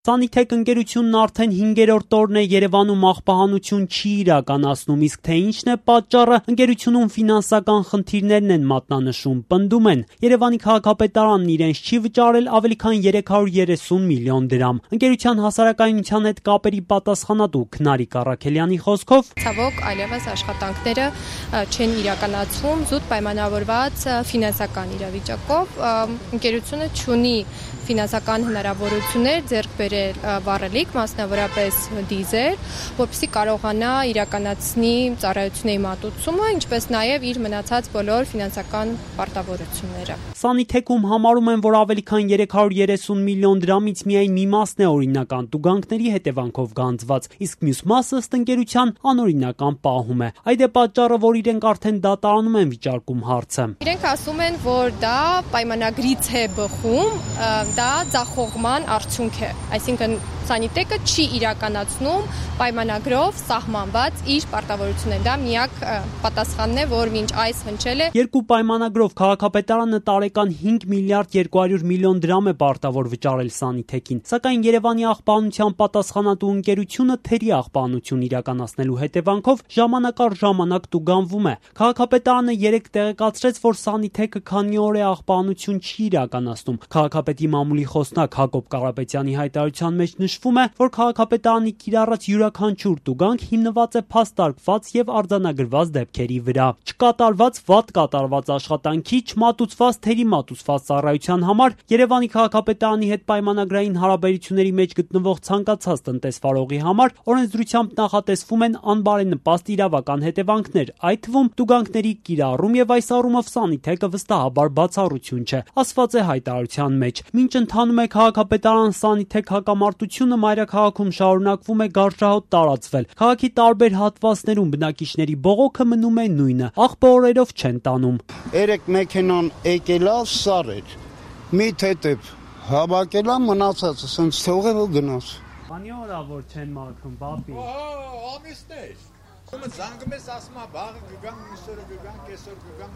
Սանիթեք ընկերությունն արդեն 5-րդ օրն է Երևանում աղբահանություն չի իրականացնում, իսկ թե ինչն է պատճառը, ընկերությունում ֆինանսական խնդիրներն են մատնանշում, պնդում են. Երևանի քաղաքապետարանն իրենց չի վճարել ավելի քան 330 միլիոն դրամ։ Ընկերության հասարակայնության հետ կապերի պատասխանատու Քնարիկ Առաքելյանի խոսքով, ցավոք այլևս աշխատանքները չեն իրականացվում զուտ պայմանավորված ֆինանսական իրավիճակով, ընկերությունը չունի ֆինանսական հնարավորություններ ձեռք բերել վառելիք, մասնավորապես դիզեր, որպեսզի կարողանա իրականացնի ծառայությունների մատուցումը, ինչպես նաև իր մնացած բոլոր ֆինանսական պարտավորությունները։ Սանիթեքում համարում են, որ ավելի քան 330 միլիոն դրամից միայն մի մասն է օրինական տուգանքների հետևանքով գանձված, իսկ մյուս մասը ըստ ընկերության անօրինական պահում է։ Այդ է պատճառը, որ իրենք արդեն դատարանում են վիճարկում հարցը։ Իրենք ասում են, որ դա պայմանագրից է բխում, դա ձախողման արդյունք է, այսինքն Սանիտեկը չի իրականացնում պայմանագրով սահմանված իր պարտավորությունները։ Դա միակ պատասխանն է, որ մինչ այս հնչել է։ Երկու պայմանագրով քաղաքապետարանը տարեկան 5 միլիարդ 200 միլիոն դրամ է պարտավոր վճարել Սանիթեկին, սակայն Երևանի աղբահանության պատասխանատու ընկերությունը թերի աղբահանություն իրականացնելու հետևանքով ժամանակ առ ժամանակ տուգանվում է։ Քաղաքապետարանը երեկ տեղեկացրեց, որ Սանիթեկը քանի օր է աղբահանություն չի իրականացնում։ Քաղաքապետի մամուլի խոսնակ Հակոբ Կարապետյանի հայտարարության մեջ նշվում է, որ քաղաքապետարանի կիրառած յուրաքանչյուր տուգանք հիմնված է փաստարկված եւ արձանագրված դեպքերի վրա։ Չկատարված, վատ կատարված աշխատանքի, չմատուցված, թերի մատուցված ծառայության համար Երևանի քաղաքապետարանի հետ պայմանագրային հարաբերությունների մեջ գտնվող ցանկացած տնտեսվարողի համար օրենսդրությամբ նախատեսվում են անբարենպաստ իրավական հետևանքներ, այդ թվում տուգանքների կիրառում եւ այս առումով Սանիթեկը վստահաբար բացառություն չէ, ասված է հայտարարության մեջ։ Մինչ ընթանում է քաղաքապետարան-Սանիթեք հակամարտությունը, մայրաքաղաքում շարունակվում է գարշահոտ տարածվել։ Քաղաքի տարբեր հատվածներում բնակիչների բողոքը մնում է նույնը, աղբը օրերով չեն տանում։ Երեք մեքենան եկել է, սար էր, մի թեթև հավաքել է, մնացածը սենց թողել ու գնաց։ Քանի օր է որ չեն մաքրում, բաբի։ Ամիսներ։ Ումը զանգում ես ասում է վաղը կգամ, մյուսօրը կգամ, կեսօր կգամ։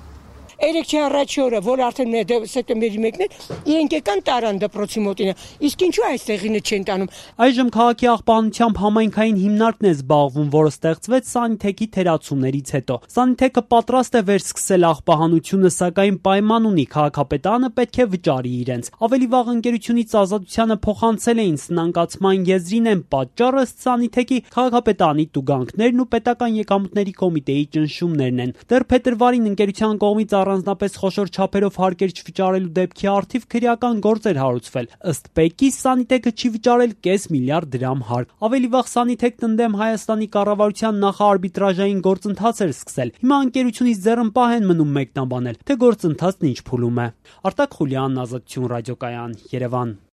Երեքի առաջի օրը, որ արդեն սեպտեմբերի 1-ն է, իրենք եկան տարան դպրոցի մոտինը, իսկ ինչու այստեղինը չեն տանում։ Այժմ քաղաքի աղբահանությամբ համայնքային հիմնարկն է զբաղվում, որը ստեղծվեց Սանիթեկի թերացումներից հետո։ Սանիթեկը պատրաստ է վերսկսել աղբահանությունը, սակայն պայման ունի, քաղաքապետարանը պետք է վճարի իրենց։ Ավելի վաղ ընկերությունից ազատությանը փոխանցել էին սնանկացման եզրին են պատճառը ըստ Սանիթեկի քաղաքապետարանի տուգանքներն ու պետական եկամուտների կոմիտեի ճնշումներն են։ Դեռ փետրվարին ընկերության կողմից առանձնապես խոշոր չափերով հարկեր չվճարելու դեպքի առթիվ քրեական գործ էր հարուցվել։ Ըստ ՊԵԿ-ի Սանիթեկը չի վճարել կես միլիարդ դրամ հարկ։ Ավելի վաղ Սանիթեկն ընդդեմ Հայաստանի կառավարության նախարբիտրաժային գործընթաց էր սկսել։ Հիմա ընկերությունից ձեռնպահ են մնում մեկնաբանել, թե գործընթացն ինչ փուլում է։ Արտակ Խուլյան, Ազատություն ռադիոկայան, Երևան։